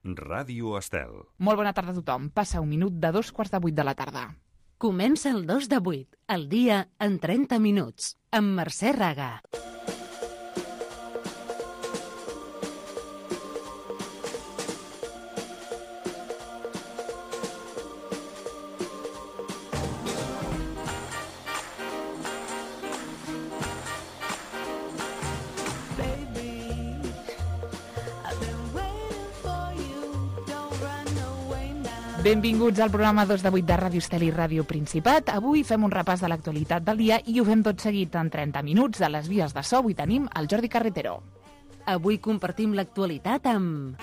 Ràdio Estel. Molt bona tarda a tothom. Passa un minut de 7:45 de la tarda. Comença el 2 de 8, el dia en 30 minuts, amb Mercè Raga. Benvinguts al programa 2 de 8 de Ràdio Estel i Ràdio Principat. Avui fem un repàs de l'actualitat del dia i ho fem tot seguit en 30 minuts. A les vies de so avui tenim el Jordi Carretero. Avui compartim l'actualitat amb...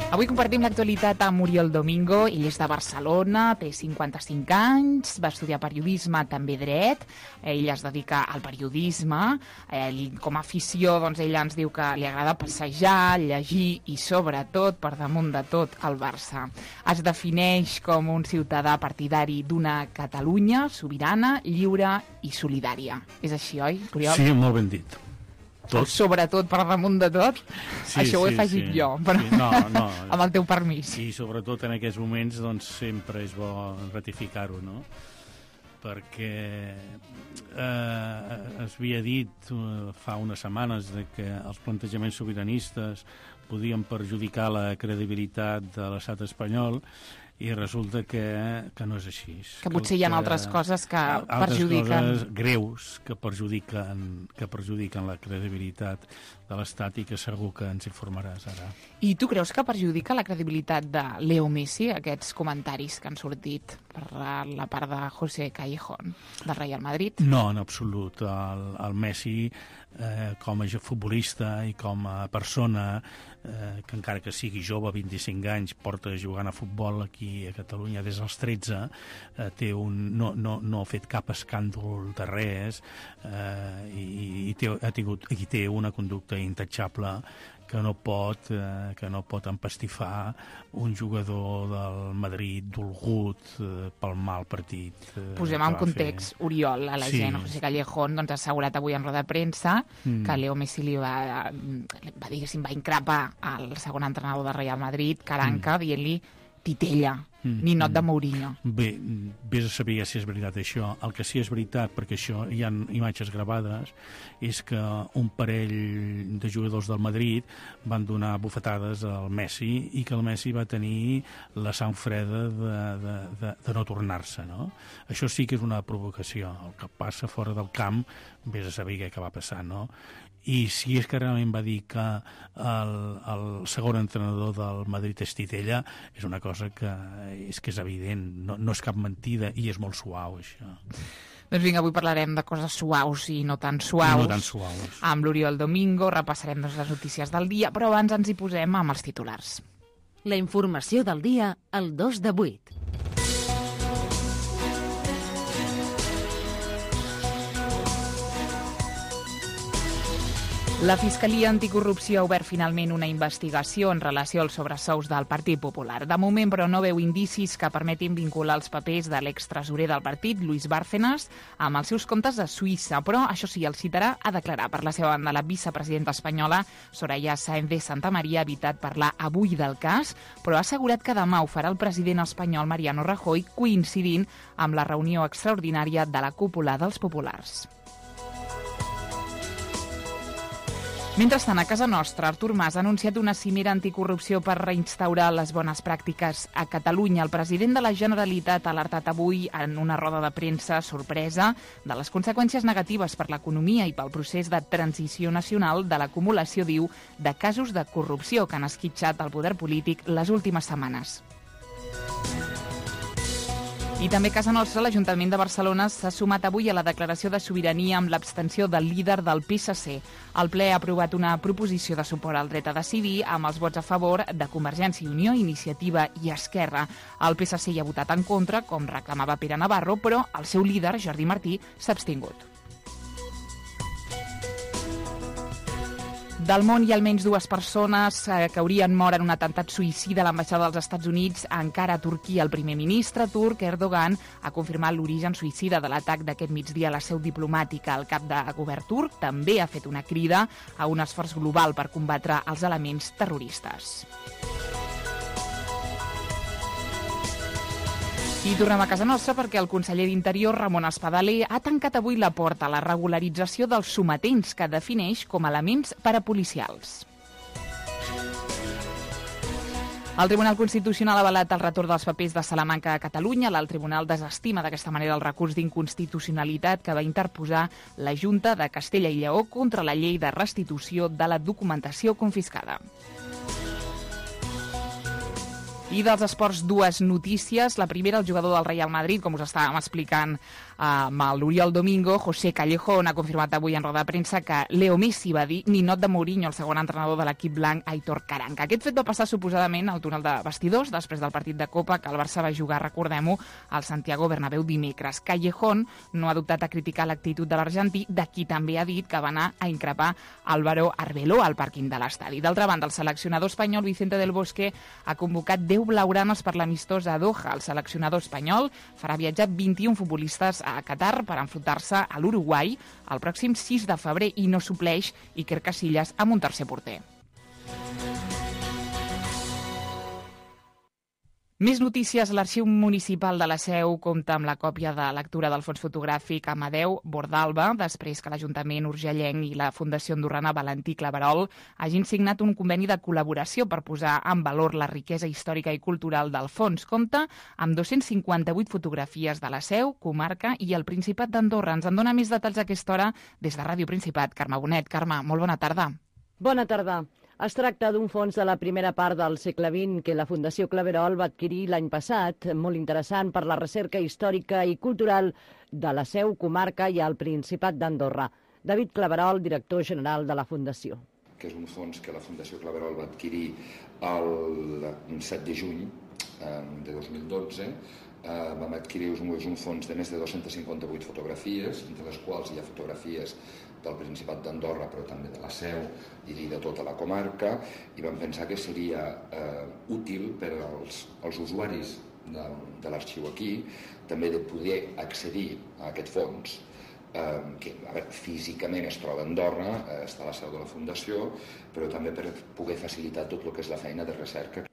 Avui compartim l'actualitat amb Oriol Domingo. Ell és de Barcelona, té 55 anys, va estudiar periodisme, també dret. Ell es dedica al periodisme. Com a afició, doncs, ell ens diu que li agrada passejar, llegir i, sobretot, per damunt de tot, el Barça. Es defineix com un ciutadà partidari d'una Catalunya sobirana, lliure i solidària. És així, oi, Oriol? Sí, molt ben dit. Tot. Sobretot per damunt de tot? Sí, això ho he afegit jo, però sí, no. amb el teu permís. I sobretot en aquests moments doncs, sempre és bo ratificar-ho, no? Perquè es havia dit fa unes setmanes de que els plantejaments sobiranistes podien perjudicar la credibilitat de l'estat espanyol i resulta que no és així. Que potser hi ha altres coses que perjudiquen. Altres coses greus que perjudiquen la credibilitat de l'Estat i que segur que ens informaràs ara. I tu creus que perjudica la credibilitat de Leo Messi, aquests comentaris que han sortit per la part de José Callejón, del Real Madrid? No, en absolut. El Messi, com a futbolista i com a persona, que encara que sigui jove, 25 anys, porta jugant a futbol aquí a Catalunya des dels 13, no ha fet cap escàndol de res i té una conducta intachable que no pot empastifar un jugador del Madrid dolgut pel mal partit. Posem en context, Oriol, a la gent. José Callejón doncs, ha assegurat avui en roda de premsa que Leo Messi va increpar el segon entrenador del Real Madrid, Caranca, dient-li titella, ninot de Mourinho. Bé, vés a saber si és veritat això. El que sí és veritat, perquè això hi ha imatges gravades, és que un parell de jugadors del Madrid van donar bufetades al Messi i que el Messi va tenir la sang freda de no tornar-se, no? Això sí que és una provocació. El que passa fora del camp, vés a saber què va passar, no? I si és que realment va dir que el segon entrenador del Madrid és titella, és una cosa que és evident, no és cap mentida i és molt suau, això. Doncs vinga, avui parlarem de coses suaus i no tan suaus. Amb l'Oriol Domingo repassarem les notícies del dia, però abans ens hi posem amb els titulars. La informació del dia al 2 de 8. La Fiscalia Anticorrupció ha obert finalment una investigació en relació als sobresous del Partit Popular. De moment, però, no veu indicis que permetin vincular els papers de l'extresorer del partit, Luis Bárcenas, amb els seus comptes a Suïssa. Però, això sí, el citarà a declarar. Per la seva banda, la vicepresidenta espanyola, Soraya Sáenz de Santamaría, ha evitat parlar avui del cas, però ha assegurat que demà ho farà el president espanyol Mariano Rajoy, coincidint amb la reunió extraordinària de la cúpula dels populars. Mentrestant, a casa nostra, Artur Mas ha anunciat una cimera anticorrupció per reinstaurar les bones pràctiques a Catalunya. El president de la Generalitat ha alertat avui en una roda de premsa sorpresa de les conseqüències negatives per l'economia i pel procés de transició nacional de l'acumulació, diu, de casos de corrupció que han esquitxat el poder polític les últimes setmanes. I també a casa nostra, l'Ajuntament de Barcelona s'ha sumat avui a la declaració de sobirania amb l'abstenció del líder del PSC. El ple ha aprovat una proposició de suport al dret a decidir amb els vots a favor de Convergència i Unió, Iniciativa i Esquerra. El PSC hi ha votat en contra, com reclamava Pere Navarro, però el seu líder, Jordi Martí, s'ha abstingut. Del món hi ha almenys 2 persones que haurien mort en un atemptat suïcida a l'ambaixada dels Estats Units. Encara a Turquia, el primer ministre turc, Erdogan, ha confirmat l'origen suïcida de l'atac d'aquest migdia a la seu diplomàtica. El cap de govern turc també ha fet una crida a un esforç global per combatre els elements terroristes. I tornem a casa nostra perquè el conseller d'Interior, Ramon Espadaler, ha tancat avui la porta a la regularització dels sometents que defineix com a elements parapolicials. El Tribunal Constitucional ha avalat el retorn dels papers de Salamanca a Catalunya. El Tribunal desestima d'aquesta manera el recurs d'inconstitucionalitat que va interposar la Junta de Castella i Lleó contra la llei de restitució de la documentació confiscada. I dels esports, 2 notícies. La primera, el jugador del Real Madrid, com us estàvem explicant amb l'Oriol Domingo, José Callejón, ha confirmat avui en roda de premsa que Leo Messi va dir ninot de Mourinho, el segon entrenador de l'equip blanc, Aitor Karanka. Aquest fet va passar suposadament al túnel de vestidors després del partit de Copa que el Barça va jugar, recordem-ho, al Santiago Bernabéu dimecres. Callejón no ha dubtat a criticar l'actitud de l'argentí, de qui també ha dit que va anar a increpar Álvaro Arbeloa al pàrquing de l'estadi. D'altra banda, el seleccionador espanyol Vicente del Bosque ha convocat 10 blaugranes per l'amistós a Doha. El seleccionador espanyol farà viatjar 21 futbolistes a Qatar per enfrontar-se a l'Uruguai el pròxim 6 de febrer i no supleix Iker Casillas amb un tercer porter. Més notícies. L'Arxiu Municipal de la Seu compta amb la còpia de lectura del fons fotogràfic Amadeu Bordalba, després que l'Ajuntament urgellenc i la Fundació Andorrana Valentí Claverol hagin signat un conveni de col·laboració per posar en valor la riquesa històrica i cultural del fons. Compta amb 258 fotografies de la Seu, comarca i el Principat d'Andorra. Ens en dona més detalls a aquesta hora des de Ràdio Principat. Carme Bonet. Carme, molt bona tarda. Bona tarda. Es tracta d'un fons de la primera part del segle XX que la Fundació Claverol va adquirir l'any passat, molt interessant per la recerca històrica i cultural de la Seu, comarca i el Principat d'Andorra. David Claverol, director general de la Fundació. Que és un fons que la Fundació Claverol va adquirir el 7 de juny de 2012. Vam adquirir un fons de més de 258 fotografies, entre les quals hi ha fotografies del Principat d'Andorra, però també de la Seu i de tota la comarca, i vam pensar que seria útil per als usuaris de l'arxiu aquí també de poder accedir a aquest fons, que físicament es troba a Andorra, està a la seu de la Fundació, però també per poder facilitar tot el que és la feina de recerca.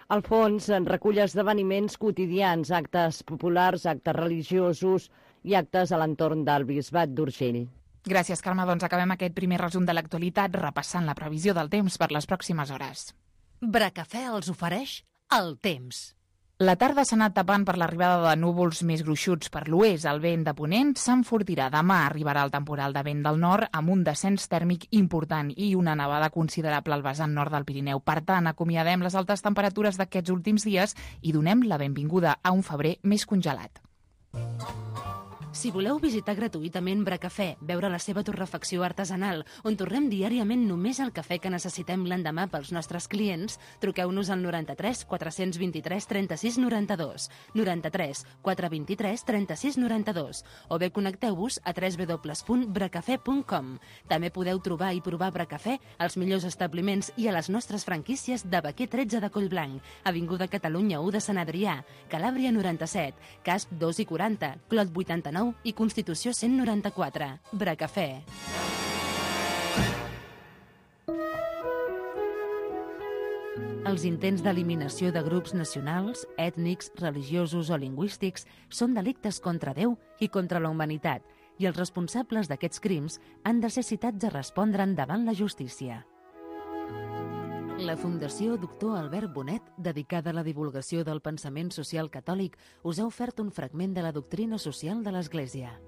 El fons recull esdeveniments quotidians, actes populars, actes religiosos i actes a l'entorn del Bisbat d'Urgell. Gràcies, Carme. Doncs acabem aquest primer resum de l'actualitat repassant la previsió del temps per les pròximes hores. Bracafè els ofereix el temps. La tarda s'ha anat tapant per l'arribada de núvols més gruixuts per l'oest. El vent de ponent s'enfortirà. Demà arribarà el temporal de vent del nord amb un descens tèrmic important i una nevada considerable al vessant nord del Pirineu. Per tant, acomiadem les altes temperatures d'aquests últims dies i donem la benvinguda a un febrer més congelat. Si voleu visitar gratuïtament Bracafè, veure la seva torrefacció artesanal, on torrem diàriament només el cafè que necessitem l'endemà pels nostres clients, truqueu-nos al 93 423 36 92, 93 423 36 92, o bé connecteu-vos a www.bracafè.com. També podeu trobar i provar Bracafè als millors establiments i a les nostres franquícies de Baquer 13 de Collblanc, Avinguda Catalunya 1 de Sant Adrià, Calàbria 97, Casp 2 i 40, Clot 89 i Constitució 194. Bracafè. Els intents d'eliminació de grups nacionals, ètnics, religiosos o lingüístics són delictes contra Déu i contra la humanitat, i els responsables d'aquests crims han de ser citats a respondre'n davant la justícia. La Fundació Doctor Albert Bonet, dedicada a la divulgació del pensament social catòlic, us ha ofert un fragment de la doctrina social de l'Església.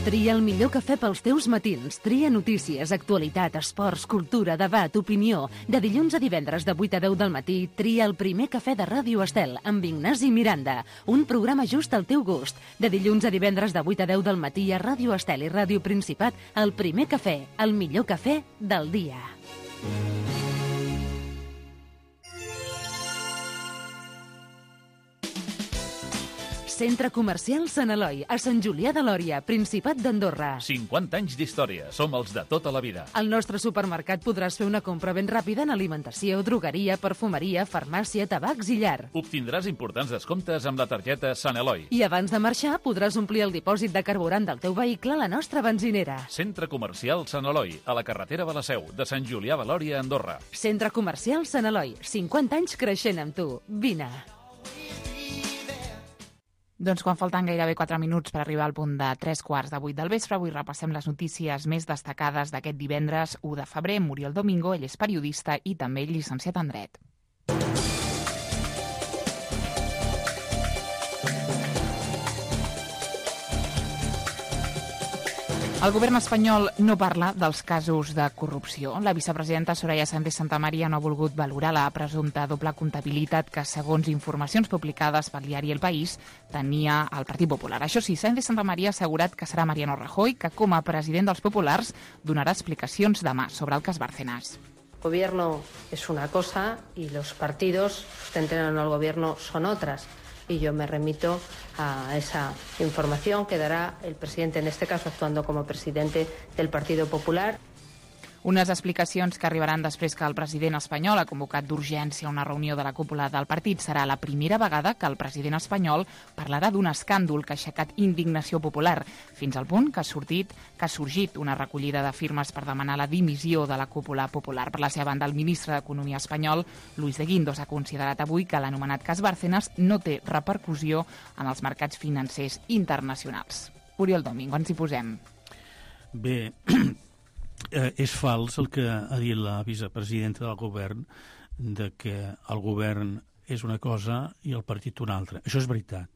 Tria el millor cafè pels teus matins. Tria notícies, actualitat, esports, cultura, debat, opinió. De dilluns a divendres de 8 a 10 del matí, tria el primer cafè de Ràdio Estel amb Ignasi Miranda. Un programa just al teu gust. De dilluns a divendres de 8 a 10 del matí a Ràdio Estel i Ràdio Principat, el primer cafè, el millor cafè del dia. Centre Comercial Sant Eloi, a Sant Julià de Lòria, Principat d'Andorra. 50 anys d'història. Som els de tota la vida. Al nostre supermercat podràs fer una compra ben ràpida en alimentació, drogueria, perfumeria, farmàcia, tabacs i llar. Obtindràs importants descomptes amb la targeta Sant Eloi. I abans de marxar podràs omplir el dipòsit de carburant del teu vehicle a la nostra benzinera. Centre Comercial Sant Eloi, a la carretera de la Seu, de Sant Julià de Lòria, Andorra. Centre Comercial Sant Eloi, 50 anys creixent amb tu. Vine. Doncs quan falten gairebé 4 minuts per arribar al punt de 3:15 del vespre, avui repassem les notícies més destacades d'aquest divendres 1 de febrer. Muriel Domingo, ell és periodista i també llicenciat en dret. El govern espanyol no parla dels casos de corrupció. La vicepresidenta Soraya Sáenz de Santamaría no ha volgut valorar la presumpta doble comptabilitat que, segons informacions publicades pel diari El País, tenia el Partit Popular. Això sí, Sáenz de Santamaría ha assegurat que serà Mariano Rajoy que, com a president dels populars, donarà explicacions demà sobre el cas Bárcenas. El gobierno es una cosa y los partidos que sustentan al gobierno son otras. Y yo me remito a esa información que dará el presidente, en este caso actuando como presidente del Partido Popular. Unes explicacions que arribaran després que el president espanyol ha convocat d'urgència una reunió de la cúpula del partit. Serà la primera vegada que el president espanyol parlarà d'un escàndol que ha aixecat indignació popular, fins al punt que ha sorgit una recollida de firmes per demanar la dimissió de la cúpula popular. Per la seva banda, el ministre d'Economia espanyol, Luis de Guindos, ha considerat avui que l'anomenat cas Bárcenas no té repercussió en els mercats financers internacionals. Oriol Domingo, ens hi posem. Bé, és fals el que ha dit la vicepresidenta del govern, de que el govern és una cosa i el partit una altra. Això és veritat.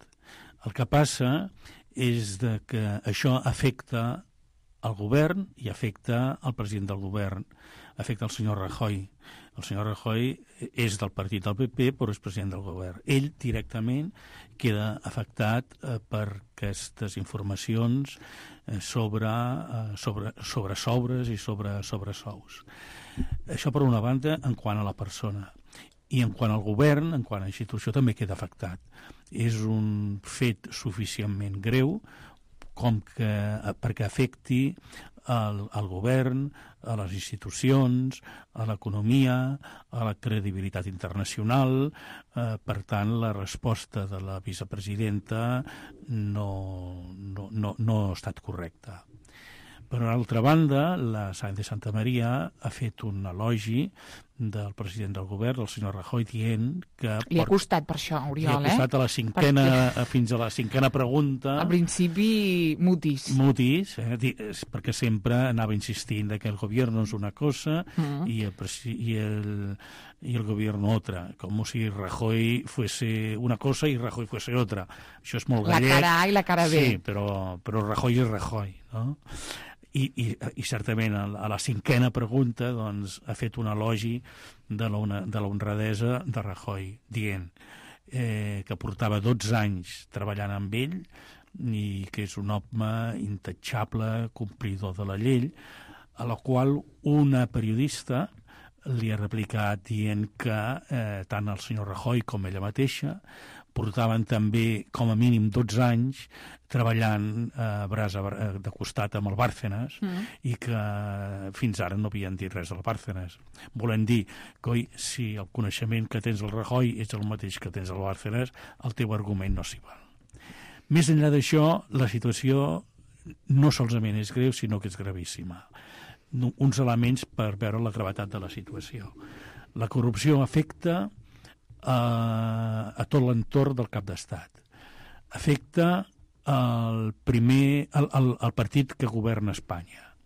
El que passa és de que això afecta el govern i afecta el president del govern, afecta el senyor Rajoy. El senyor Rajoy és del partit del PP, però és president del govern. Ell directament queda afectat per aquestes informacions sobre sobres i sobre sous. Això per una banda en quant a la persona. I en quant al govern, en quant a la institució, també queda afectat. És un fet suficientment greu perquè afecti al govern, a les institucions, a l'economia, a la credibilitat internacional. Per tant, la resposta de la vicepresidenta no ha estat correcta. Per altra banda, la Sáenz de Santamaría ha fet un elogi del president del govern, el senyor Rajoy, dient que... Li ha costat per això, Oriol, Li ha costat fins a la cinquena pregunta. Al principi, mutis. Perquè sempre anava insistint que el govern és una cosa i el gobierno otra, com si Rajoy fuese una cosa i Rajoy fuese otra. Això és molt gallec. La cara A i la cara B. Sí, però Rajoy és Rajoy, no? I certament a la cinquena pregunta doncs, ha fet un elogi de la honradesa de Rajoy, dient que portava 12 anys treballant amb ell i que és un home intachable, complidor de la llei, a la qual una periodista li ha replicat dient que tant el senyor Rajoy com ella mateixa portaven també com a mínim 12 anys treballant de costat amb el Bárcenas i que fins ara no havien dit res del Bárcenas. Volen dir que si el coneixement que tens del Rajoy és el mateix que tens del Bárcenas, el teu argument no s'hi val. Més enllà d'això, la situació no solament és greu, sinó que és gravíssima. Uns elements per veure la gravetat de la situació. La corrupció afecta a tot l'entorn del cap d'estat. Afecta el partit que governa Espanya.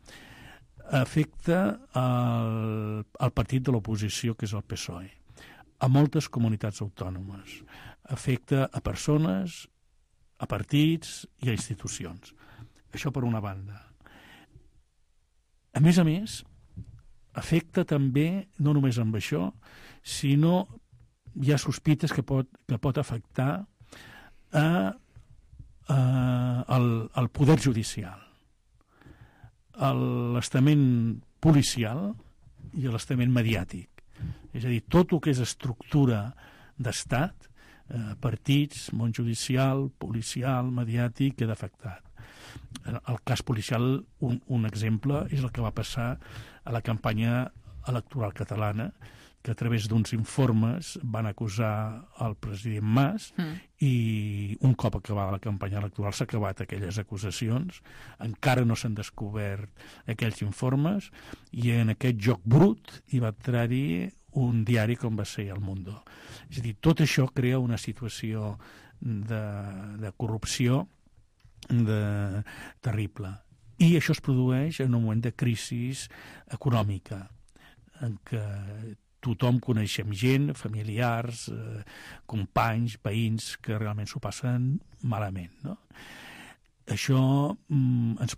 Afecta el partit de l'oposició, que és el PSOE. A moltes comunitats autònomes. Afecta a persones, a partits i a institucions. Això per una banda. A més, afecta també, no només amb això, sinó hi ha sospites que pot afectar al poder judicial, l'estament policial i l'estament mediàtic. És a dir, tot el que és estructura d'estat partits, món judicial, policial, mediàtic, queda afectat. El cas policial, un exemple, és el que va passar a la campanya electoral catalana, que a través d'uns informes van acusar el president Mas i un cop acabada la campanya electoral s'ha acabat aquelles acusacions, encara no s'han descobert aquells informes i en aquest joc brut hi va entrar-hi un diari com va ser El Mundo. És a dir, tot això crea una situació de corrupció terrible. I això es produeix en un moment de crisi econòmica, en què tothom coneixem gent, familiars, companys, veïns, que realment s'ho passen malament, no? Això ens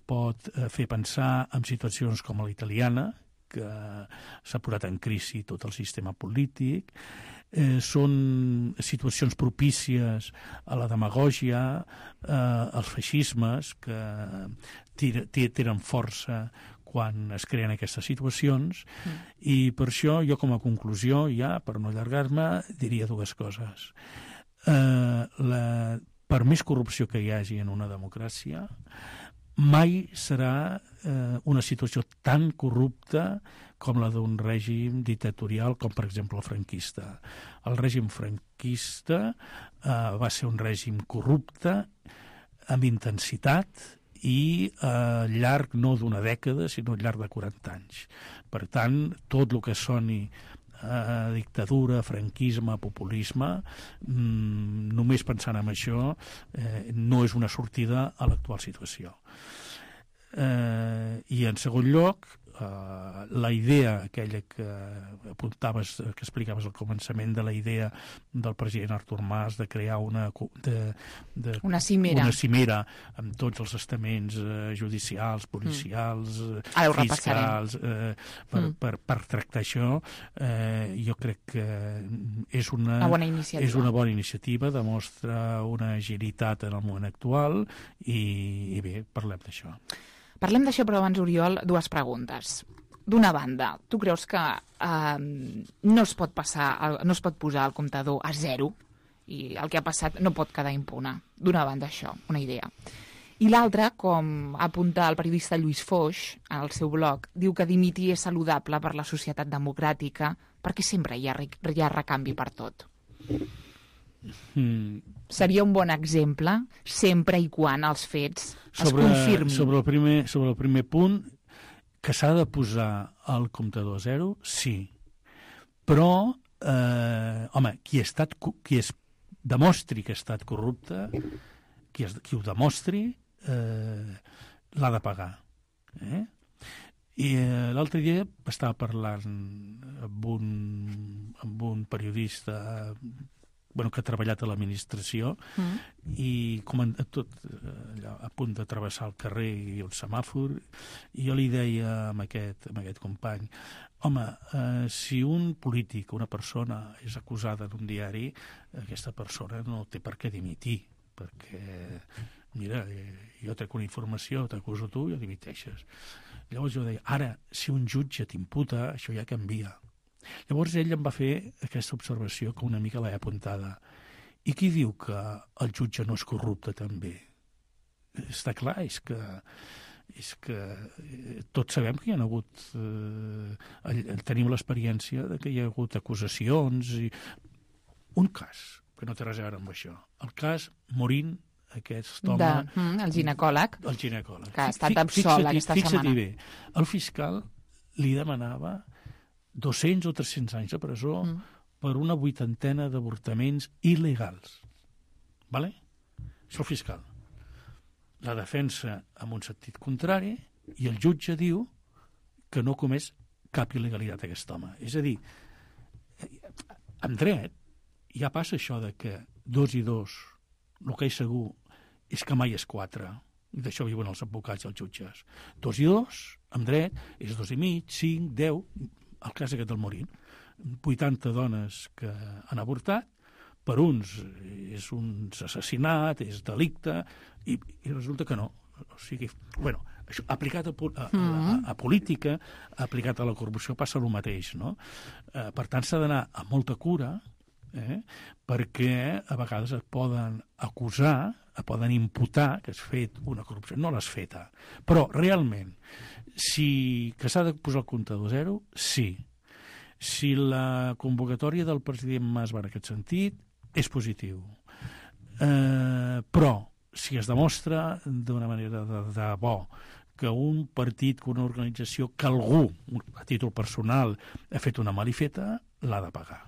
pot fer pensar en situacions com la italiana, que s'ha posat en crisi tot el sistema polític. Són situacions propícies a la demagògia, als feixismes, que tenen força quan es creen aquestes situacions, i per això jo com a conclusió, ja per no allargar-me, diria dues coses. Per més corrupció que hi hagi en una democràcia, mai serà una situació tan corrupta com la d'un règim dictatorial com, per exemple, el franquista. El règim franquista va ser un règim corrupte amb intensitat i al llarg no d'una dècada, sinó al llarg de 40 anys. Per tant, tot el que soni dictadura, franquisme, populisme, només pensant en això, no és una sortida a l'actual situació. I en segon lloc, la idea aquella que apuntaves, que explicaves al començament, de la idea del president Artur Mas de crear una cimera amb tots els estaments judicials, policials, fiscals, per tractar això, jo crec que és una bona iniciativa, demostra una agilitat en el moment actual i bé, parlem d'això. Parlem d'això, però abans, Oriol, dues preguntes. D'una banda, tu creus que no es pot posar el comptador a zero i el que ha passat no pot quedar impune? D'una banda, això, una idea. I l'altra, com apunta el periodista Lluís Foix al seu blog, diu que dimitir és saludable per la societat democràtica perquè sempre hi ha recanvi per tot. Seria un bon exemple sempre i quan els fets es confirmin. Sobre el primer punt, que s'ha de posar el comptador a zero, sí. Però, qui demostri que ha estat corrupte, qui ho demostri, l'ha de pagar. I l'altre dia estava parlant amb un periodista que ha treballat a l'administració i tot a punt de travessar el carrer i un semàfor, i jo li deia a aquest company, si un polític, una persona és acusada en un diari, aquesta persona no té per què dimitir, perquè mira, jo trec una informació, t'acuso tu i ho dimiteixes. Llavors jo deia, ara, si un jutge t'imputa, això ja canvia. Llavors ell em va fer aquesta observació que una mica l'he apuntada. I qui diu que el jutge no és corrupte també? Està clar, és que tots sabem que hi ha hagut... tenim l'experiència de que hi ha hagut acusacions i... Un cas, que no té res a veure amb això. El cas Morín, aquest home... El ginecòleg. El ginecòleg. Que ha estat absolt aquesta setmana. Fixa't bé, el fiscal li demanava 200 o 300 anys de presó per una 80ena d'avortaments il·legals. Vale? Això el fiscal. La defensa amb un sentit contrari i el jutge diu que no comés cap il·legalitat aquest home. És a dir, en dret ja passa això de que 2 i 2, el que és segur és que mai és 4. I d'això viuen els advocats i els jutges. 2 i 2, en dret, és 2 i mig, 5, 10... El cas aquest del Morín, 80 dones que han avortat, per uns és un assassinat, és delicte, i resulta que no. O sigui, això, aplicat a política, aplicat a la corrupció, passa el mateix, no? Per tant, s'ha d'anar amb molta cura perquè a vegades et poden acusar, et poden imputar que has fet una corrupció. No l'has feta. Però, realment, que s'ha de posar el comptador zero, sí. Si la convocatòria del president Mas va en aquest sentit, és positiu. Però, si es demostra d'una manera de bo que un partit, que una organització, que algú, a títol personal, ha fet una malifeta, l'ha de pagar.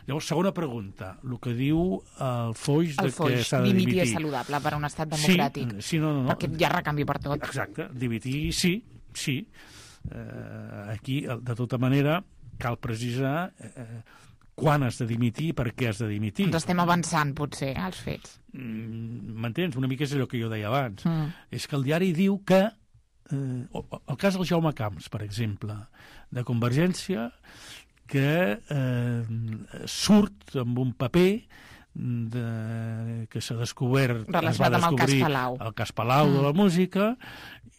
Llavors, segona pregunta, el que diu el Foix que s'ha de dimitir. Dimitir és saludable per a un estat democràtic. Sí, no. Perquè hi ha recanvi per tot. Exacte, dimitir sí. Aquí, de tota manera, cal precisar quan has de dimitir i per què has de dimitir. Ens estem avançant, potser, als fets. M'entens? Una mica és allò que jo deia abans. És que el diari diu que el cas del Jaume Camps, per exemple, de Convergència, que surt amb un paper que s'ha descobert... Relacionat amb el cas Palau. El cas Palau de la música,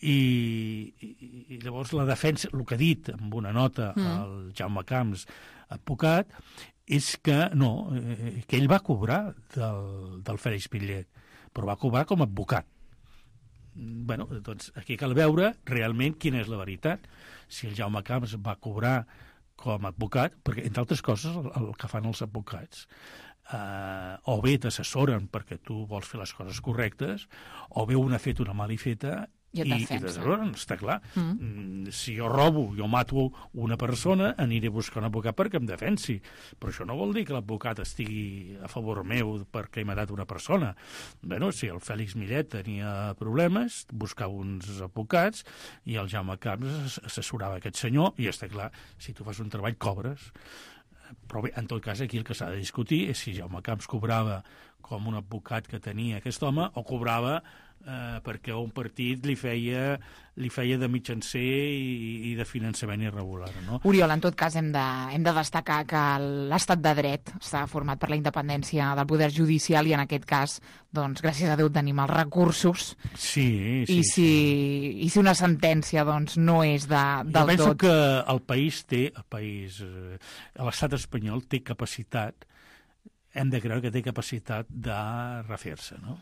i llavors la defensa, el que ha dit amb una nota el Jaume Camps, advocat, és que no, que ell va cobrar del Fèlix Millet, però va cobrar com a advocat. Bueno, doncs aquí cal veure realment quina és la veritat. Si el Jaume Camps va cobrar com a advocat, perquè, entre altres coses, el que fan els advocats, o bé t'assessoren perquè tu vols fer les coses correctes, o bé un ha fet una malifeta i està clar. Si jo robo, jo mato una persona, aniré a buscar un advocat perquè em defensi. Però això no vol dir que l'advocat estigui a favor meu perquè he matat una persona. Bueno, si el Fèlix Millet tenia problemes, buscava uns advocats i el Jaume Camps assessorava aquest senyor, i està clar, si tu fas un treball cobres. Però bé, en tot cas, aquí el que s'ha de discutir és si Jaume Camps cobrava com un advocat que tenia aquest home o cobrava perquè un partit li feia de mitjancer i de finançament irregular. No? Oriol, en tot cas hem de destacar que l'estat de dret està format per la independència del poder judicial i en aquest cas, doncs, gràcies a Déu tenim els recursos. Sí. I si una sentència doncs, no és del tot... Jo penso que l'estat espanyol té capacitat, hem de creure que té capacitat de refer-se, no?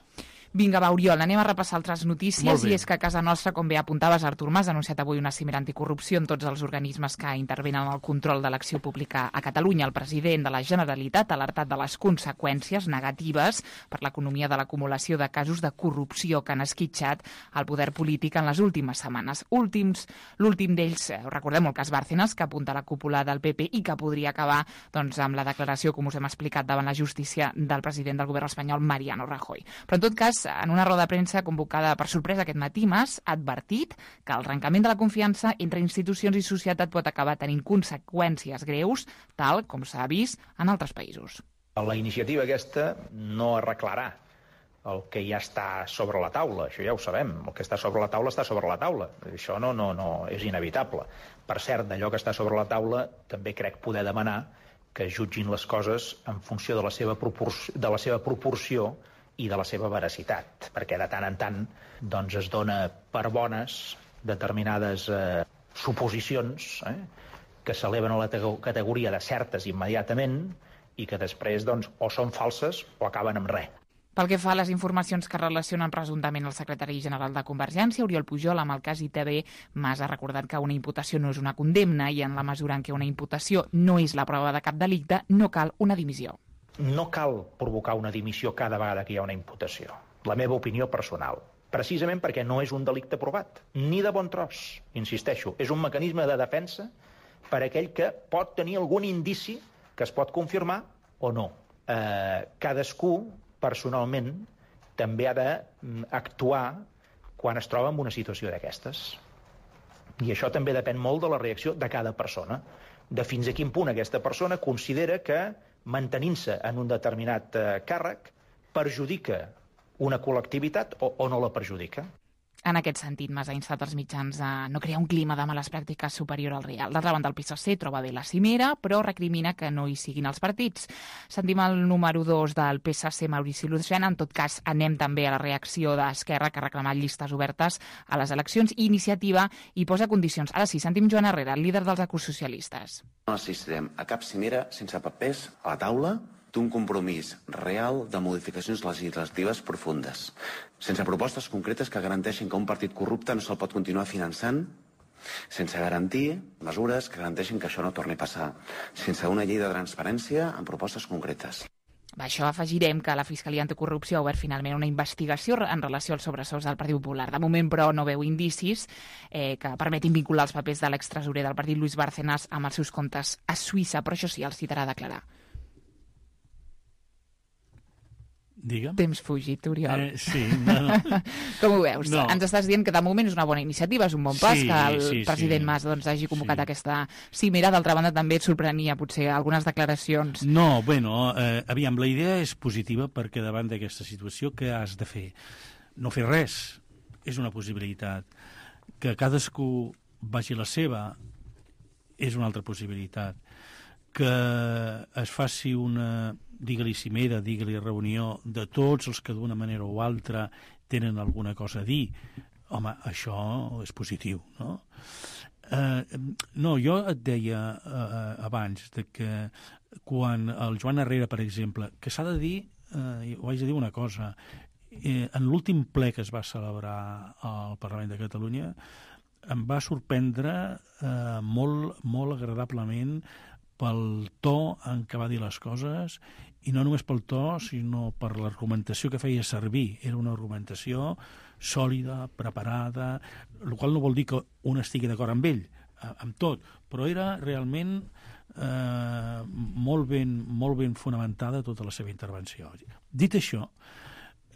Vinga, va, Oriol, anem a repassar altres notícies, i és que a casa nostra, com bé apuntaves, Artur Mas ha anunciat avui una cimera anticorrupció en tots els organismes que intervenen en el control de l'acció pública a Catalunya. El president de la Generalitat ha alertat de les conseqüències negatives per l'economia de l'acumulació de casos de corrupció que han esquitxat el poder polític en les últimes setmanes. L'últim d'ells, recordem el cas Bárcenas, que apunta a la cúpula del PP i que podria acabar doncs, amb la declaració, com us hem explicat, davant la justícia del president del govern espanyol, Mariano Rajoy. Però en tot cas, en una roda de premsa convocada per sorpresa aquest matí, Mas ha advertit que el trencament de la confiança entre institucions i societat pot acabar tenint conseqüències greus, tal com s'ha vist en altres països. La iniciativa aquesta no arreglarà el que ja està sobre la taula, això ja ho sabem, el que està sobre la taula està sobre la taula, això no és inevitable. Per cert, d'allò que està sobre la taula també crec poder demanar que jutgin les coses en funció de la seva proporció i de la seva veracitat, perquè de tant en tant doncs, es dona per bones determinades suposicions que s'eleven a la categoria de certes immediatament i que després doncs, o són falses o acaben amb res. Pel que fa a les informacions que relacionen presumptament el secretari general de Convergència, Oriol Pujol, amb el cas ITV, Mas ha recordat que una imputació no és una condemna i en la mesura en què una imputació no és la prova de cap delicte, no cal una dimissió. No cal provocar una dimissió cada vegada que hi ha una imputació. La meva opinió personal. Precisament perquè no és un delicte provat. Ni de bon tros, insisteixo. És un mecanisme de defensa per a aquell que pot tenir algun indici que es pot confirmar o no. Cadascú, personalment, també ha d'actuar quan es troba en una situació d'aquestes. I això també depèn molt de la reacció de cada persona, de fins a quin punt aquesta persona considera que mantenint-se en un determinat càrrec perjudica una col·lectivitat o no la perjudica. En aquest sentit, Mas ha instat els mitjans a no crear un clima de males pràctiques superior al real. D'altra banda, el PSC troba bé la cimera, però recrimina que no hi siguin els partits. Sentim el número 2 del PSC, Maurici Lucena. En tot cas, anem també a la reacció d'Esquerra, que ha reclamat llistes obertes a les eleccions, i Iniciativa hi posa condicions. Ara sí, sentim Joan Herrera, el líder dels ecosocialistes. No assistirem a cap cimera sense papers a la taula d'un compromís real de modificacions legislatives profundes, sense propostes concretes que garanteixin que un partit corrupte no se'l pot continuar finançant, sense garantir mesures que garanteixin que això no torni a passar, sense una llei de transparència amb propostes concretes. A això afegirem que la Fiscalia Anticorrupció ha obert finalment una investigació en relació als sobresous del Partit Popular. De moment, però, no veu indicis que permetin vincular els papers de l'extresorer del partit, Luis Bárcenas, amb els seus comptes a Suïssa, però això sí, els citarà a declarar. Digue'm. Temps fugit, Oriol. Sí, no. Com ho veus? No. Ens estàs dient que de moment és una bona iniciativa, és un bon pas que el president Mas hagi convocat aquesta cimera. D'altra banda, també et sorprenia potser algunes declaracions. No, bueno, aviam, la idea és positiva perquè davant d'aquesta situació què has de fer? No fer res és una possibilitat. Que cadascú vagi la seva és una altra possibilitat. Que es faci una, digue-li cimera, digue-li reunió de tots els que d'una manera o altra tenen alguna cosa a dir, home, això és positiu, no? No, jo et deia abans de que quan el Joan Herrera, per exemple, que s'ha de dir, ho haig de dir una cosa, en l'últim ple que es va celebrar al Parlament de Catalunya em va sorprendre molt agradablement pel to en què va dir les coses, i no només pel to, sinó per l'argumentació que feia servir. Era una argumentació sòlida, preparada, el qual no vol dir que un estigui d'acord amb ell, amb tot, però era realment molt ben fonamentada tota la seva intervenció. Dit això,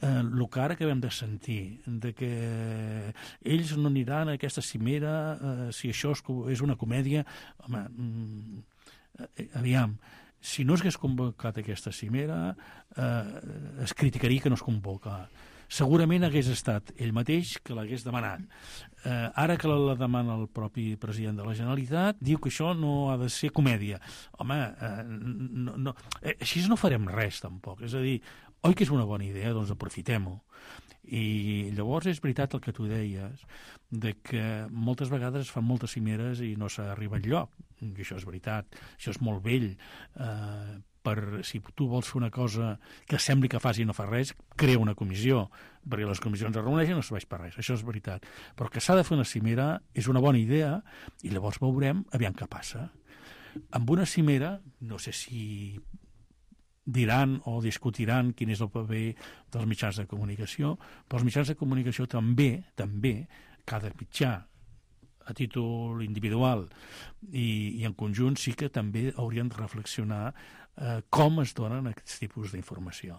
el que ara acabem de sentir, de que ells no aniran a aquesta cimera si això és una comèdia, home, aviam, si no s'hagués convocat aquesta cimera, es criticaria que no es convoca. Segurament hagués estat ell mateix que l'hagués demanat. Ara que la demana el propi president de la Generalitat, diu que això no ha de ser comèdia. Home, així no farem res, tampoc. És a dir, oi que és una bona idea? Doncs aprofitem-ho. I llavors és veritat el que tu deies, de que moltes vegades es fan moltes cimeres i no s'arriba enlloc. I això és veritat, això és molt vell. Si tu vols fer una cosa que sembli que fas i no fa res, crea una comissió, perquè les comissions es reuneixen i no serveix per res, això és veritat. Però que s'ha de fer una cimera és una bona idea i llavors veurem aviam què passa. Amb una cimera, no sé si diran o discutiran quin és el paper dels mitjans de comunicació, però els mitjans de comunicació també, cada mitjà a títol individual i en conjunt sí que també haurien de reflexionar com es donen aquests tipus d'informació.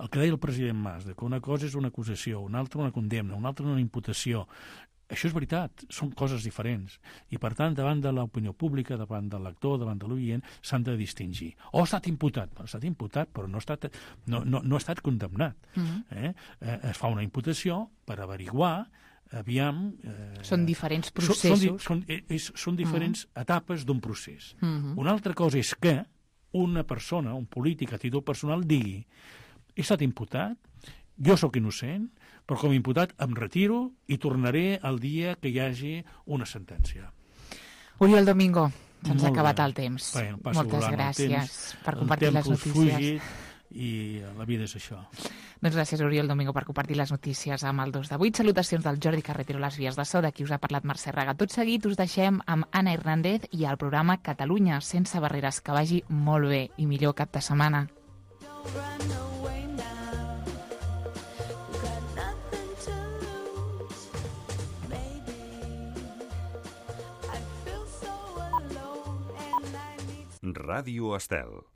El que deia el president Mas, que una cosa és una acusació, una altra una condemna, una altra una imputació, això és veritat, són coses diferents. I, per tant, davant de l'opinió pública, davant del lector, davant de l'oient, s'han de distingir. O ha estat imputat, però no ha estat condemnat. Es fa una imputació per averiguar, aviam... Són diferents processos. Són diferents etapes d'un procés. Una altra cosa és que una persona, un polític a títol personal, digui he estat imputat, jo sóc innocent, però com a imputat em retiro i tornaré el dia que hi hagi una sentència. Oriol Domingo, se'ns ha acabat el temps. Bueno, moltes gràcies per compartir les notícies. I la vida és això. Doncs gràcies, Oriol Domingo, per compartir les notícies amb el 2 de 8. Salutacions del Jordi Carretero a les vies de so, d'aquí us ha parlat Mercè Raga. Tot seguit us deixem amb Anna Hernández i el programa Catalunya sense barreres. Que vagi molt bé i millor cap de setmana. Ràdio Estel.